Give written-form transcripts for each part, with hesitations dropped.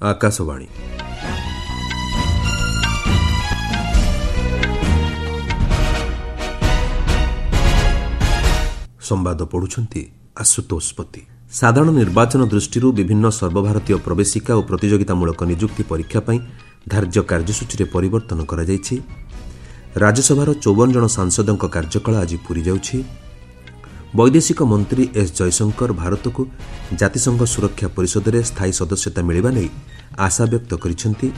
ଆକାଶବାଣୀ। ସମ୍ବାଦ ପଢ଼ୁଛନ୍ତି ଆଶୁତୋଷ ପତି। ସାଧାରଣ ନିର୍ବାଚନ ଦୃଷ୍ଟିରୁ ବିଭିନ୍ନ ସର୍ବଭାରତୀୟ ପ୍ରବେଶିକା ଓ ପ୍ରତିଯୋଗିତାମୂଳକ ନିଯୁକ୍ତି ପରୀକ୍ଷା ପାଇଁ ଧାର୍ଯ୍ୟ କାର୍ଯ୍ୟସୂଚୀରେ ପରିବର୍ତ୍ତନ କରାଯାଇଛି। ରାଜ୍ୟସଭାର 54 ଜଣ ସାଂସଦଙ୍କ କାର୍ଯ୍ୟକାଳ ଆଜି ପୂରି ଯାଉଛି। ବୈଦେଶିକ ମନ୍ତ୍ରୀ ଏସ୍ ଜୟଶଙ୍କର ଭାରତକୁ ଜାତିସଂଘ ସୁରକ୍ଷା ପରିଷଦରେ ସ୍ଥାୟୀ ସଦସ୍ୟତା ମିଳିବା ନେଇ ଆଶାବ୍ୟକ୍ତ କରିଛନ୍ତି।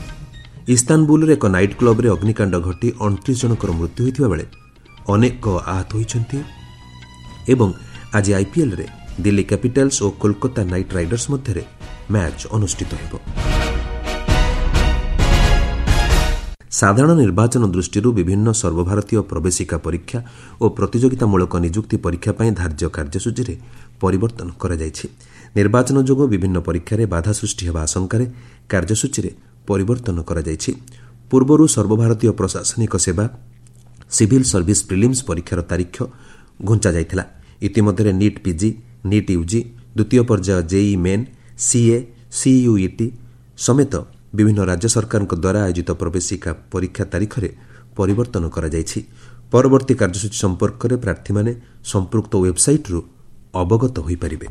ଇସ୍ତାନବୁଲ୍ରେ ଏକ ନାଇଟ୍ କ୍ଲବ୍ରେ ଅଗ୍ନିକାଣ୍ଡ ଘଟି 29 ଜଣଙ୍କର ମୃତ୍ୟୁ ହୋଇଥିବା ବେଳେ ଅନେକ ଆହତ ହୋଇଛନ୍ତି। ଏବଂ ଆଜି ଆଇପିଏଲ୍ରେ ଦିଲ୍ଲୀ କ୍ୟାପିଟାଲ୍ସ ଓ କୋଲକାତା ନାଇଟ୍ ରାଇଡର୍ସ ମଧ୍ୟରେ ମ୍ୟାଚ୍ ଅନୁଷ୍ଠିତ ହେବ। ସାଧାରଣ ନିର୍ବାଚନ ଦୃଷ୍ଟିରୁ ବିଭିନ୍ନ ସର୍ବଭାରତୀୟ ପ୍ରବେଶିକା ପରୀକ୍ଷା ଓ ପ୍ରତିଯୋଗିତାମୂଳକ ନିଯୁକ୍ତି ପରୀକ୍ଷା ପାଇଁ ଧାର୍ଯ୍ୟ କାର୍ଯ୍ୟସୂଚୀରେ ପରିବର୍ତ୍ତନ କରାଯାଇଛି। ନିର୍ବାଚନ ଯୋଗୁଁ ବିଭିନ୍ନ ପରୀକ୍ଷାରେ ବାଧା ସୃଷ୍ଟି ହେବା ଆଶଙ୍କାରେ କାର୍ଯ୍ୟସୂଚୀରେ ପରିବର୍ତ୍ତନ କରାଯାଇଛି। ପୂର୍ବରୁ ସର୍ବଭାରତୀୟ ପ୍ରଶାସନିକ ସେବା ସିଭିଲ୍ ସର୍ଭିସ୍ ପ୍ରିଲିମ୍ସ ପରୀକ୍ଷାର ତାରିଖ ଘୁଞ୍ଚାଯାଇଥିଲା। ଇତିମଧ୍ୟରେ ନିଟ୍ ପିଜି, ନିଟ୍ ୟୁଜି, ଦ୍ୱିତୀୟ ପର୍ଯ୍ୟାୟ ଜେଇଇ ମେନ୍, ସିଏ, ସିୟୁଇଟି ସମେତ ବିଭିନ୍ନ ରାଜ୍ୟ ସରକାରଙ୍କ ଦ୍ୱାରା ଆୟୋଜିତ ପ୍ରବେଶିକା ପରୀକ୍ଷା ତାରିଖରେ ପରିବର୍ତ୍ତନ କରାଯାଇଛି। ପରବର୍ତ୍ତୀ କାର୍ଯ୍ୟସୂଚୀ ସମ୍ପର୍କରେ ପ୍ରାର୍ଥୀମାନେ ସମ୍ପୃକ୍ତ ୱେବ୍ସାଇଟ୍ରୁ ଅବଗତ ହୋଇପାରିବେ।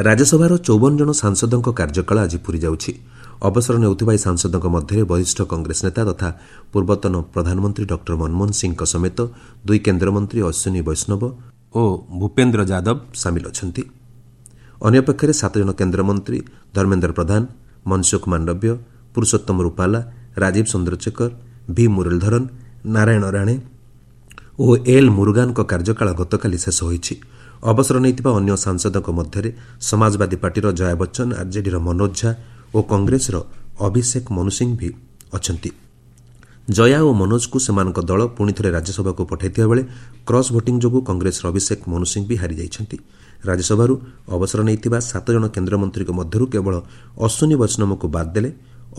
ରାଜ୍ୟସଭାର 54 ଜଣ ସାଂସଦଙ୍କ କାର୍ଯ୍ୟକାଳ ଆଜି ପୂରି ଯାଉଛି। ଅବସର ନେଉଥିବା ଏହି ସାଂସଦଙ୍କ ମଧ୍ୟରେ ବରିଷ୍ଠ କଂଗ୍ରେସ ନେତା ତଥା ପୂର୍ବତନ ପ୍ରଧାନମନ୍ତ୍ରୀ ଡକ୍ଟର ମନମୋହନ ସିଂହଙ୍କ ସମେତ ଦୁଇ କେନ୍ଦ୍ରମନ୍ତ୍ରୀ ଅଶ୍ୱିନୀ ବୈଷ୍ଣବ ଓ ଭୂପେନ୍ଦ୍ର ଯାଦବ ସାମିଲ ଅଛନ୍ତି। ଅନ୍ୟପକ୍ଷରେ 7 ଜଣ କେନ୍ଦ୍ରମନ୍ତ୍ରୀ ଧର୍ମେନ୍ଦ୍ର ପ୍ରଧାନ, ମନସୁଖ ମାଣ୍ଡବ୍ୟ, ପୁରୁଷୋତ୍ତମ ରୁପାଲା, ରାଜୀବ ଚନ୍ଦ୍ରଶେଖର, ଭି ମୁରଲୀଧରନ୍, ନାରାୟଣ ରାଣେ ଓ ଏଲ୍ ମୁରୁଗାନଙ୍କ କାର୍ଯ୍ୟକାଳ ଗତକାଲି ଶେଷ ହୋଇଛି। ଅବସର ନେଇଥିବା ଅନ୍ୟ ସାଂସଦଙ୍କ ମଧ୍ୟରେ ସମାଜବାଦୀ ପାର୍ଟିର ଜୟା ବଚ୍ଚନ, ଆର୍ଜେଡିର ମନୋଜ ଝା ଓ କଂଗ୍ରେସର ଅଭିଷେକ ମନୁ ସିଂଭି ଅଛନ୍ତି। ଜୟା ଓ ମନୋଜଙ୍କୁ ସେମାନଙ୍କ ଦଳ ପୁଣିଥରେ ରାଜ୍ୟସଭାକୁ ପଠାଇଥିବା ବେଳେ କ୍ରସ୍ ଭୋଟିଂ ଯୋଗୁଁ କଂଗ୍ରେସର ଅଭିଷେକ ମନୁ ସିଂଭି ହାରିଯାଇଛନ୍ତି। ରାଜ୍ୟସଭାରୁ ଅବସର ନେଇଥିବା 7 ଜଣ କେନ୍ଦ୍ରମନ୍ତ୍ରୀଙ୍କ ମଧ୍ୟରୁ କେବଳ ଅଶ୍ୱିନୀ ବୈଷ୍ଣବଙ୍କୁ ବାଦ୍ ଦେଲେ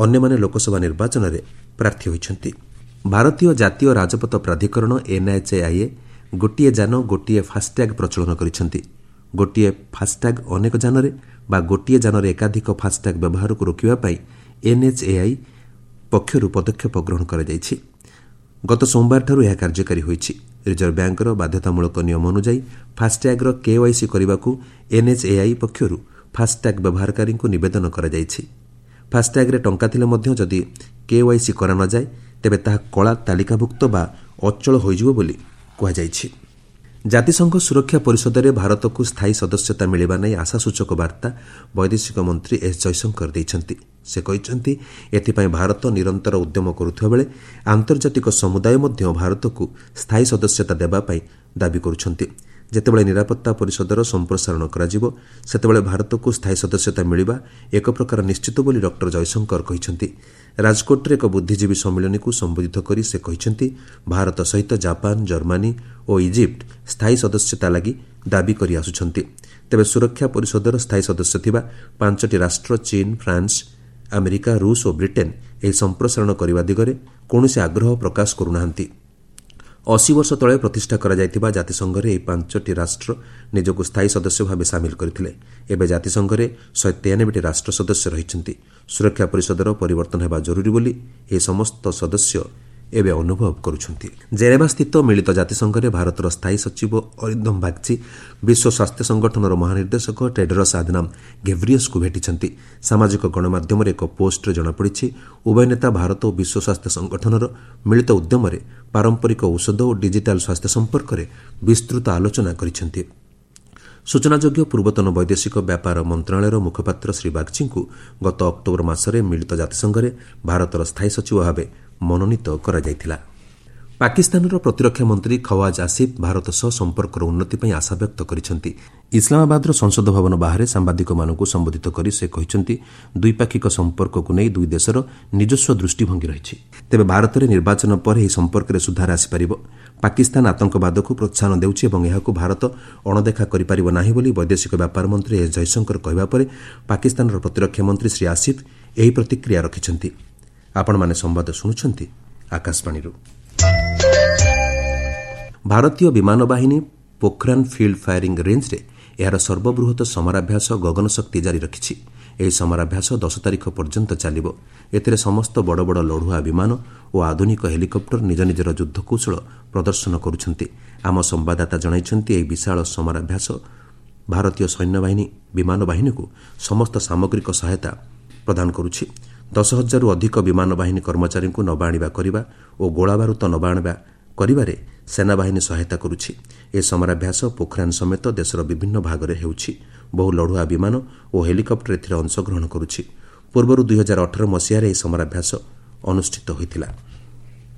ଅନ୍ୟମାନେ ଲୋକସଭା ନିର୍ବାଚନରେ ପ୍ରାର୍ଥୀ ହୋଇଛନ୍ତି। ଭାରତୀୟ ଜାତୀୟ ରାଜପଥ ପ୍ରାଧିକରଣ ଏନ୍ଏଚ୍ଏଆଇଏ ଗୋଟିଏ ଯାନ ଗୋଟିଏ ଫାସ୍ଟ୍ୟାଗ୍ ପ୍ରଚଳନ କରିଛନ୍ତି। ଗୋଟିଏ ଫାସ୍ଟ୍ୟାଗ୍ ଅନେକ ଯାନରେ ବା ଗୋଟିଏ ଯାନରେ ଏକାଧିକ ଫାସ୍ଟ୍ୟାଗ୍ ବ୍ୟବହାରକୁ ରୋକିବା ପାଇଁ ଏନ୍ଏଚ୍ଏଆଇ ପକ୍ଷରୁ ପଦକ୍ଷେପ ଗ୍ରହଣ କରାଯାଇଛି। ଗତ ସୋମବାରଠାରୁ ଏହା କାର୍ଯ୍ୟକାରୀ ହୋଇଛି। ରିଜର୍ଭ ବ୍ୟାଙ୍କର ବାଧ୍ୟତାମୂଳକ ନିୟମ ଅନୁଯାୟୀ ଫାସ୍ଟ୍ୟାଗ୍ର କେୱାଇସି କରିବାକୁ ଏନ୍ଏଚ୍ଏଆଇ ପକ୍ଷରୁ ଫାସ୍ଟ୍ୟାଗ୍ ବ୍ୟବହାରକାରୀଙ୍କୁ ନିବେଦନ କରାଯାଇଛି। ଫାସ୍ଟ୍ୟାଗ୍ରେ ଟଙ୍କା ଥିଲେ ମଧ୍ୟ ଯଦି କେୱାଇସି କରାନଯାଏ ତେବେ ତାହା କଳା ତାଲିକାଭୁକ୍ତ ବା ଅଚଳ ହୋଇଯିବ ବୋଲି କୁହାଯାଇଛି। ଜାତିସଂଘ ସୁରକ୍ଷା ପରିଷଦରେ ଭାରତକୁ ସ୍ଥାୟୀ ସଦସ୍ୟତା ମିଳିବା ନେଇ ଆଶାସୂଚକ ବାର୍ତ୍ତା ବୈଦେଶିକ ମନ୍ତ୍ରୀ ଏସ୍ ଜୟଶଙ୍କର ଦେଇଛନ୍ତି। ସେ କହିଛନ୍ତି, ଏଥିପାଇଁ ଭାରତ ନିରନ୍ତର ଉଦ୍ୟମ କରୁଥିବା ବେଳେ ଆନ୍ତର୍ଜାତିକ ସମୁଦାୟ ମଧ୍ୟ ଭାରତକୁ ସ୍ଥାୟୀ ସଦସ୍ୟତା ଦେବା ପାଇଁ ଦାବି କରୁଛନ୍ତି। ଯେତେବେଳେ ନିରାପତ୍ତା ପରିଷଦର ସମ୍ପ୍ରସାରଣ କରାଯିବ ସେତେବେଳେ ଭାରତକୁ ସ୍ଥାୟୀ ସଦସ୍ୟତା ମିଳିବା ଏକ ପ୍ରକାର ନିଶ୍ଚିତ ବୋଲି ଡକ୍ଟର ଜୟଶଙ୍କର କହିଛନ୍ତି। ରାଜକୋଟରେ ଏକ ବୁଦ୍ଧିଜୀବୀ ସମ୍ମିଳନୀକୁ ସମ୍ବୋଧିତ କରି ସେ କହିଛନ୍ତି, ଭାରତ ସହିତ ଜାପାନ, ଜର୍ମାନୀ ଓ ଇଜିପ୍ଟ ସ୍ଥାୟୀ ସଦସ୍ୟତା ଲାଗି ଦାବି କରି ଆସୁଛନ୍ତି। ତେବେ ସୁରକ୍ଷା ପରିଷଦର ସ୍ଥାୟୀ ସଦସ୍ୟ ଥିବା 5ଟି ରାଷ୍ଟ୍ର ଚୀନ, ଫ୍ରାନ୍ସ, ଆମେରିକା, ରୁଷ ଓ ବ୍ରିଟେନ୍ ଏହି ସମ୍ପ୍ରସାରଣ କରିବା ଦିଗରେ କୌଣସି ଆଗ୍ରହ ପ୍ରକାଶ କରୁନାହାନ୍ତି। 80 ବର୍ଷ ତଳେ ପ୍ରତିଷ୍ଠା କରାଯାଇଥିବା ଜାତିସଂଘରେ ଏହି 5ଟି ରାଷ୍ଟ୍ର ନିଜକୁ ସ୍ଥାୟୀ ସଦସ୍ୟ ଭାବେ ସାମିଲ କରିଥିଲେ। ଏବେ ଜାତିସଂଘରେ 193ଟି ରାଷ୍ଟ୍ର ସଦସ୍ୟ ରହିଛନ୍ତି। ସୁରକ୍ଷା ପରିଷଦର ପରିବର୍ତ୍ତନ ହେବା ଜରୁରୀ ବୋଲି ଏହି ସମସ୍ତ ସଦସ୍ୟ ଏବେ ଅନୁଭବ କରୁଛନ୍ତି। ଜେନେଭାସ୍ଥିତ ମିଳିତ ଜାତିସଂଘରେ ଭାରତର ସ୍ଥାୟୀ ସଚିବ ଅରିନ୍ଦମ ବାଗ୍ଚୀ ବିଶ୍ୱ ସ୍ୱାସ୍ଥ୍ୟ ସଂଗଠନର ମହାନିର୍ଦ୍ଦେଶକ ଟେଡ୍ରସ୍ ଆଦନାମ ଘେବ୍ରିୟସ୍ଙ୍କୁ ଭେଟିଛନ୍ତି। ସାମାଜିକ ଗଣମାଧ୍ୟମରେ ଏକ ପୋଷ୍ଟରେ ଜଣାପଡ଼ିଛି, ଉଭୟ ନେତା ଭାରତ ଓ ବିଶ୍ୱ ସ୍ୱାସ୍ଥ୍ୟ ସଂଗଠନର ମିଳିତ ଉଦ୍ୟମରେ ପାରମ୍ପରିକ ଔଷଧ ଓ ଡିଜିଟାଲ୍ ସ୍ୱାସ୍ଥ୍ୟ ସମ୍ପର୍କରେ ବିସ୍ତୃତ ଆଲୋଚନା କରିଛନ୍ତି। ସୂଚନାଯୋଗ୍ୟ, ପୂର୍ବତନ ବୈଦେଶିକ ବ୍ୟାପାର ମନ୍ତ୍ରଣାଳୟର ମୁଖପାତ୍ର ଶ୍ରୀ ବାଗ୍ଚୀଙ୍କୁ ଗତ ଅକ୍ଟୋବର ମାସରେ ମିଳିତ ଜାତିସଂଘରେ ଭାରତର ସ୍ଥାୟୀ ସଚିବ ଭାବେ ମନୋନୀତ କରାଯାଇଥିଲା। ପାକିସ୍ତାନର ପ୍ରତିରକ୍ଷା ମନ୍ତ୍ରୀ ଖୱାଜ ଆସିଫ୍ ଭାରତ ସହ ସମ୍ପର୍କର ଉନ୍ନତି ପାଇଁ ଆଶାବ୍ୟକ୍ତ କରିଛନ୍ତି। ଇସଲାମାବାଦର ସଂସଦ ଭବନ ବାହାରେ ସାମ୍ବାଦିକମାନଙ୍କୁ ସମ୍ବୋଧିତ କରି ସେ କହିଛନ୍ତି, ଦ୍ୱିପାକ୍ଷିକ ସମ୍ପର୍କକୁ ନେଇ ଦୁଇ ଦେଶର ନିଜସ୍ୱ ଦୃଷ୍ଟିଭଙ୍ଗୀ ରହିଛି। ତେବେ ଭାରତରେ ନିର୍ବାଚନ ପରେ ଏହି ସମ୍ପର୍କରେ ସୁଧାର ଆସିପାରିବ। ପାକିସ୍ତାନ ଆତଙ୍କବାଦକୁ ପ୍ରୋତ୍ସାହନ ଦେଉଛି ଏବଂ ଏହାକୁ ଭାରତ ଅଣଦେଖା କରିପାରିବ ନାହିଁ ବୋଲି ବୈଦେଶିକ ବ୍ୟାପାର ମନ୍ତ୍ରୀ ଏସ୍ ଜୟଶଙ୍କର କହିବା ପରେ ପାକିସ୍ତାନର ପ୍ରତିରକ୍ଷା ମନ୍ତ୍ରୀ ଶ୍ରୀ ଆସିଫ୍ ଏହି ପ୍ରତିକ୍ରିୟା ରଖିଛନ୍ତି। ଆପଣମାନେ ସମ୍ବାଦ ଶୁଣୁଛନ୍ତି ଆକାଶବାଣୀରୁ। ଭାରତୀୟ ବିମାନ ବାହିନୀ ପୋଖରାନ୍ ଫିଲ୍ଡ ଫାୟାରିଂ ରେଞ୍ଜରେ ଏହାର ସର୍ବବୃହତ ସମରାଭ୍ୟାସ ଗଗନ ଶକ୍ତି ଜାରି ରଖିଛି। ଏହି ସମରାଭ୍ୟାସ 10 ତାରିଖ ପର୍ଯ୍ୟନ୍ତ ଚାଲିବ। ଏଥିରେ ସମସ୍ତ ବଡ଼ ବଡ଼ ଲଢୁଆ ବିମାନ ଓ ଆଧୁନିକ ହେଲିକପ୍ଟର ନିଜ ନିଜର ଯୁଦ୍ଧକୌଶଳ ପ୍ରଦର୍ଶନ କରୁଛନ୍ତି। ଆମ ସମ୍ବାଦଦାତା ଜଣାଇଛନ୍ତି, ଏହି ବିଶାଳ ସମରାଭ୍ୟାସ ଭାରତୀୟ ସୈନ୍ୟବାହିନୀ ବିମାନ ବାହିନୀକୁ ସମସ୍ତ ସାମଗ୍ରିକ ସହାୟତା ପ୍ରଦାନ କରୁଛି। 10,000ରୁ ଅଧିକ ବିମାନ ବାହିନୀ କର୍ମଚାରୀଙ୍କୁ ନେବା ଆଣିବା କରିବା ଓ ଗୋଳାବାରୁଦ ନେବା ଆଣିବା କରିବାରେ ସେନାବାହିନୀ ସହାୟତା କରୁଛି। ଏହି ସମରାଭ୍ୟାସ ପୋଖରାନ ସମେତ ଦେଶର ବିଭିନ୍ନ ଭାଗରେ ହେଉଛି। ବହୁ ଲଢୁଆ ବିମାନ ଓ ହେଲିକପ୍ଟର ଏଥିରେ ଅଂଶଗ୍ରହଣ କରୁଛି। ପୂର୍ବରୁ 2018 ମସିହାରେ ଏହି ସମରାଭ୍ୟାସ ଅନୁଷ୍ଠିତ ହୋଇଥିଲା।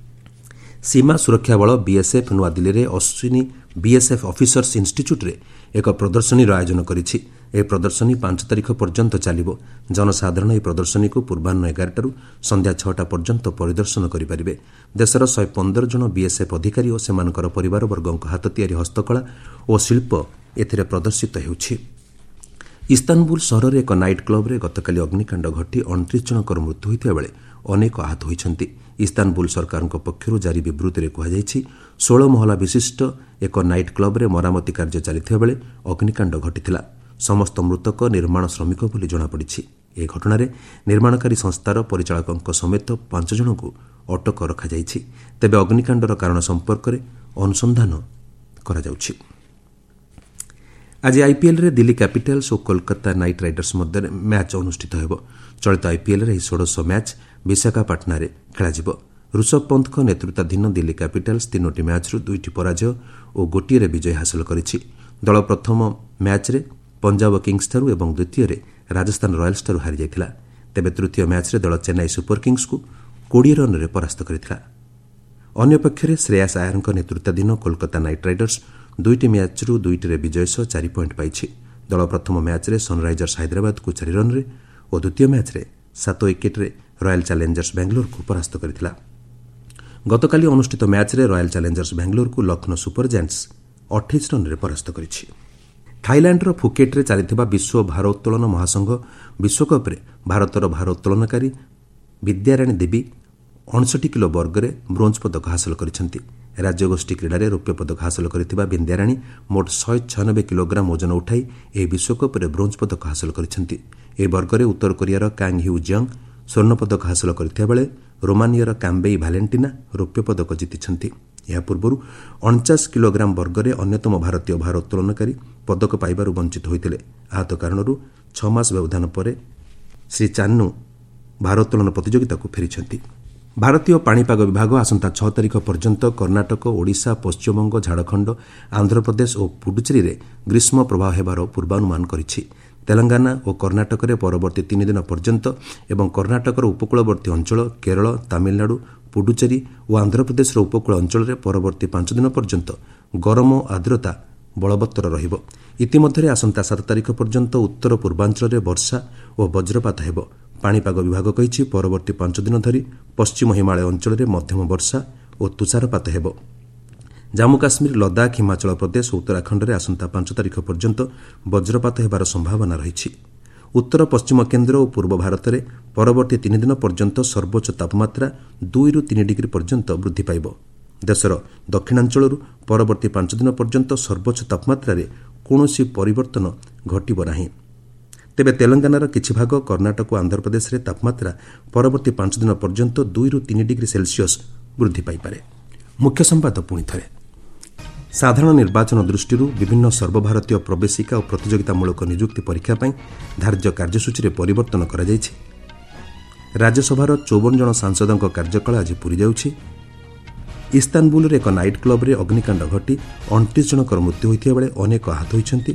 ସୀମା ସୁରକ୍ଷା ବଳ ବିଏସ୍ଏଫ୍ ନୂଆଦିଲ୍ଲୀରେ ଅଶ୍ୱିନୀ ବିଏସ୍ଏଫ୍ ଅଫିସର୍ସ ଇନ୍ଷ୍ଟିଚ୍ୟୁଟ୍ରେ ଏକ ପ୍ରଦର୍ଶନୀର ଆୟୋଜନ କରିଛି। ଏହି ପ୍ରଦର୍ଶନୀ 5 ତାରିଖ ପର୍ଯ୍ୟନ୍ତ ଚାଲିବ। ଜନସାଧାରଣ ଏହି ପ୍ରଦର୍ଶନୀକୁ ପୂର୍ବାହ୍ନ 11ଟାରୁ ସନ୍ଧ୍ୟା 6ଟା ପର୍ଯ୍ୟନ୍ତ ପରିଦର୍ଶନ କରିପାରିବେ। ଦେଶର 115 ଜଣ ବିଏସ୍ଏଫ୍ ଅଧିକାରୀ ଓ ସେମାନଙ୍କର ପରିବାରବର୍ଗଙ୍କ ହାତ ତିଆରି ହସ୍ତକଳା ଓ ଶିଳ୍ପ ଏଥିରେ ପ୍ରଦର୍ଶିତ ହେଉଛି। ଇସ୍ତାନବୁଲ ସହରରେ ଏକ ନାଇଟ୍ କ୍ଲବ୍ରେ ଗତକାଲି ଅଗ୍ନିକାଣ୍ଡ ଘଟି 29 ଜଣଙ୍କର ମୃତ୍ୟୁ ହୋଇଥିବା ବେଳେ ଅନେକ ଆହତ ହୋଇଛନ୍ତି। ଇସ୍ତାନବୁଲ ସରକାରଙ୍କ ପକ୍ଷରୁ ଜାରି ବିବୃତ୍ତିରେ କୁହାଯାଇଛି, 16 ମହଲା ବିଶିଷ୍ଟ ଏକ ନାଇଟ୍ କ୍ଲବ୍ରେ ମରାମତି କାର୍ଯ୍ୟ ଚାଲିଥିବା ବେଳେ ଅଗ୍ନିକାଣ୍ଡ ଘଟିଥିଲା। ସମସ୍ତ ମୃତକ ନିର୍ମାଣ ଶ୍ରମିକ ବୋଲି ଜଣାପଡ଼ିଛି। ଏହି ଘଟଣାରେ ନିର୍ମାଣକାରୀ ସଂସ୍ଥାର ପରିଚାଳକଙ୍କ ସମେତ 5 ଜଣଙ୍କୁ ଅଟକ ରଖାଯାଇଛି। ତେବେ ଅଗ୍ନିକାଣ୍ଡର କାରଣ ସମ୍ପର୍କରେ ଅନୁସନ୍ଧାନ କରାଯାଉଛି। ଆଜି ଆଇପିଏଲ୍ରେ ଦିଲ୍ଲୀ କ୍ୟାପିଟାଲ୍ସ ଓ କୋଲକାତା ନାଇଟ୍ ରାଇଡର୍ସ ମଧ୍ୟରେ ମ୍ୟାଚ୍ ଅନୁଷ୍ଠିତ ହେବ। ଚଳିତ ଆଇପିଏଲ୍ରେ ଏହି ଷୋଡ଼ଶ ମ୍ୟାଚ୍ ବିଶାଖାପାଟଣାରେ ଖେଳାଯିବ। ଋଷଭ ପନ୍ତଙ୍କ ନେତୃତ୍ୱାଧୀନ ଦିଲ୍ଲୀ କ୍ୟାପିଟାଲ୍ସ 3ଟି ମ୍ୟାଚ୍ରୁ 2ଟି ପରାଜୟ ଓ ଗୋଟିଏରେ ବିଜୟ ହାସଲ କରିଛି। ଦଳ ପ୍ରଥମ ମ୍ୟାଚ୍ରେ ପଞ୍ଜାବ କିଙ୍ଗ୍ସଠାରୁ ଏବଂ ଦ୍ୱିତୀୟରେ ରାଜସ୍ଥାନ ରୟାଲ୍ସଠାରୁ ହାରିଯାଇଥିଲା। ତେବେ ତୃତୀୟ ମ୍ୟାଚ୍ରେ ଦଳ ଚେନ୍ନାଇ ସୁପର କିଙ୍ଗ୍ସକୁ 20 ରନ୍ରେ ପରାସ୍ତ କରିଥିଲା। ଅନ୍ୟପକ୍ଷରେ ଶ୍ରେୟାସ ଆୟରଙ୍କ ନେତୃତ୍ୱାଧୀନ କୋଲକାତା ନାଇଟ୍ ରାଇଡର୍ସ 2ଟି ମ୍ୟାଚ୍ରୁ 2ଟିରେ ବିଜୟ ସହ 4 ପଏଣ୍ଟ ପାଇଛି। ଦଳ ପ୍ରଥମ ମ୍ୟାଚ୍ରେ ସନ୍ରାଇଜର୍ସ ହାଇଦ୍ରାବାଦକୁ 4 ରନ୍ରେ ଓ ଦ୍ୱିତୀୟ ମ୍ୟାଚ୍ରେ 7 ୱିକେଟ୍ରେ ରୟାଲ୍ ଚ୍ୟାଲେଞ୍ଜର୍ସ ବାଙ୍ଗାଲୋରକୁ ପରାସ୍ତ କରିଥିଲା। ଗତକାଲି ଅନୁଷ୍ଠିତ ମ୍ୟାଚ୍ରେ ରୟାଲ୍ ଚ୍ୟାଲେଞ୍ଜର୍ସ ବାଙ୍ଗାଲୋରକୁ ଲକ୍ଷ୍ନୌ ସୁପର ଜାଏଣ୍ଟସ୍ 28 ରନ୍ରେ ପରାସ୍ତ କରିଛି। ଥାଇଲାଣ୍ଡର ଫୁକେଟ୍ରେ ଚାଲିଥିବା ବିଶ୍ୱ ଭାରୋତ୍ତୋଳନ ମହାସଂଘ ବିଶ୍ୱକପ୍ରେ ଭାରତର ଭାରୋତ୍ତୋଳନକାରୀ ବିଦ୍ୟାରାଣୀ ଦେବୀ 59 କିଲୋ ବର୍ଗରେ ବ୍ରୋଞ୍ଜ ପଦକ ହାସଲ କରିଛନ୍ତି। ରାଜ୍ୟଗୋଷ୍ଠୀ କ୍ରୀଡ଼ାରେ ରୌପ୍ୟ ପଦକ ହାସଲ କରିଥିବା ବିନ୍ଦ୍ୟାରାଣୀ ମୋଟ 196 କିଲୋଗ୍ରାମ ଓଜନ ଉଠାଇ ଏହି ବିଶ୍ୱକପ୍ରେ ବ୍ରୋଞ୍ଜ ପଦକ ହାସଲ କରିଛନ୍ତି। ଏହି ବର୍ଗରେ ଉତ୍ତର କୋରିଆର କାଙ୍ଗ୍ ହ୍ୟୁ ଜଙ୍ଗ ସ୍ୱର୍ଣ୍ଣ ପଦକ ହାସଲ କରିଥିବା ବେଳେ ରୋମାନିଆର କାମ୍ବେଇ ଭାଲେଣ୍ଟିନା ରୌପ୍ୟ ପଦକ ଜିତିଛନ୍ତି। ଏହା ପୂର୍ବରୁ 49 କିଲୋଗ୍ରାମ ବର୍ଗରେ ଅନ୍ୟତମ ଭାରତୀୟ ଭାରୋତ୍ତୋଳନକାରୀ ପଦକ ପାଇବାରୁ ବଞ୍ଚିତ ହୋଇଥିଲେ। ଆହତ କାରଣରୁ 6 ମାସ ବ୍ୟବଧାନ ପରେ ଶ୍ରୀ ଚାନ୍ନୁ ଭାରୋତ୍ତୋଳନ ପ୍ରତିଯୋଗିତାକୁ ଫେରିଛନ୍ତି। ଭାରତୀୟ ପାଣିପାଗ ବିଭାଗ ଆସନ୍ତା 6 ତାରିଖ ପର୍ଯ୍ୟନ୍ତ କର୍ଣ୍ଣାଟକ, ଓଡ଼ିଶା, ପଶ୍ଚିମବଙ୍ଗ, ଝାଡ଼ଖଣ୍ଡ, ଆନ୍ଧ୍ରପ୍ରଦେଶ ଓ ପୁଡୁଚେରୀରେ ଗ୍ରୀଷ୍ମ ପ୍ରବାହ ହେବାର ପୂର୍ବାନୁମାନ କରିଛି। ତେଲଙ୍ଗାନା ଓ କର୍ଣ୍ଣାଟକରେ ପରବର୍ତ୍ତୀ 3 ଦିନ ପର୍ଯ୍ୟନ୍ତ ଏବଂ କର୍ଣ୍ଣାଟକର ଉପକୂଳବର୍ତ୍ତୀ ଅଞ୍ଚଳ, କେରଳ, ତାମିଲନାଡୁ, ପୁଡୁଚେରୀ ଓ ଆନ୍ଧ୍ରପ୍ରଦେଶର ଉପକୂଳ ଅଞ୍ଚଳରେ ପରବର୍ତ୍ତୀ 5 ଦିନ ପର୍ଯ୍ୟନ୍ତ ଗରମ ଆର୍ଦ୍ରତା ବଳବତ୍ତର ରହିବ। ଇତିମଧ୍ୟରେ ଆସନ୍ତା 7 ତାରିଖ ପର୍ଯ୍ୟନ୍ତ ଉତ୍ତର ପୂର୍ବାଞ୍ଚଳରେ ବର୍ଷା ଓ ବଜ୍ରପାତ ହେବ। ପାଣିପାଗ ବିଭାଗ କହିଛି, ପରବର୍ତ୍ତୀ 5 ଦିନ ଧରି ପଶ୍ଚିମ ହିମାଳୟ ଅଞ୍ଚଳରେ ମଧ୍ୟମ ବର୍ଷା ଓ ତୁଷାରପାତ ହେବ। ଜାମ୍ମୁ କାଶ୍ମୀର, ଲଦାଖ, ହିମାଚଳ ପ୍ରଦେଶ ଓ ଉତ୍ତରାଖଣ୍ଡରେ ଆସନ୍ତା 5 ତାରିଖ ପର୍ଯ୍ୟନ୍ତ ବଜ୍ରପାତ ହେବାର ସମ୍ଭାବନା ରହିଛି। ଉତ୍ତର ପଶ୍ଚିମ କେନ୍ଦ୍ର ଓ ପୂର୍ବ ଭାରତରେ ପରବର୍ତ୍ତୀ 3 ଦିନ ପର୍ଯ୍ୟନ୍ତ ସର୍ବୋଚ୍ଚ ତାପମାତ୍ରା 2ରୁ 3 ଡିଗ୍ରୀ ପର୍ଯ୍ୟନ୍ତ ବୃଦ୍ଧି ପାଇବ। ଦେଶର ଦକ୍ଷିଣାଞ୍ଚଳରୁ ପରବର୍ତ୍ତୀ 5 ଦିନ ପର୍ଯ୍ୟନ୍ତ ସର୍ବୋଚ୍ଚ ତାପମାତ୍ରାରେ କୌଣସି ପରିବର୍ତ୍ତନ ଘଟିବ ନାହିଁ। ତେବେ ତେଲଙ୍ଗାନାର କିଛି ଭାଗ, କର୍ଣ୍ଣାଟକ ଓ ଆନ୍ଧ୍ରପ୍ରଦେଶରେ ତାପମାତ୍ରା ପରବର୍ତ୍ତୀ 5 ଦିନ ପର୍ଯ୍ୟନ୍ତ 2ରୁ 3 ଡିଗ୍ରୀ ସେଲସିୟସ୍ ବୃଦ୍ଧି ପାଇପାରେ। ମୁଖ୍ୟ ସମ୍ବାଦ ପୁଣି ଥରେ। ସାଧାରଣ ନିର୍ବାଚନ ଦୃଷ୍ଟିରୁ ବିଭିନ୍ନ ସର୍ବଭାରତୀୟ ପ୍ରବେଶିକା ଓ ପ୍ରତିଯୋଗିତାମୂଳକ ନିଯୁକ୍ତି ପରୀକ୍ଷା ପାଇଁ ଧାର୍ଯ୍ୟ କାର୍ଯ୍ୟସୂଚୀରେ ପରିବର୍ତ୍ତନ କରାଯାଇଛି। ରାଜ୍ୟସଭାର 54 ଜଣ ସାଂସଦଙ୍କ କାର୍ଯ୍ୟକାଳ ଆଜି ପୂରିଯାଉଛି। ଇସ୍ତାନବୁଲରେ ଏକ ନାଇଟ୍ କ୍ଲବ୍ରେ ଅଗ୍ନିକାଣ୍ଡ ଘଟି 29 ଜଣଙ୍କର ମୃତ୍ୟୁ ହୋଇଥିବା ବେଳେ ଅନେକ ଆହତ ହୋଇଛନ୍ତି।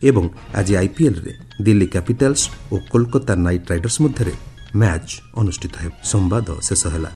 ଏବଂ ଆଜି ଆଇପିଏଲ୍ରେ ଦିଲ୍ଲୀ କ୍ୟାପିଟାଲ୍ସ ଓ କୋଲକାତା ନାଇଟ୍ ରାଇଡର୍ସ ମଧ୍ୟରେ ମ୍ୟାଚ୍ ଅନୁଷ୍ଠିତ ହେବ। ସମ୍ବାଦ ଶେଷ ହେଲା।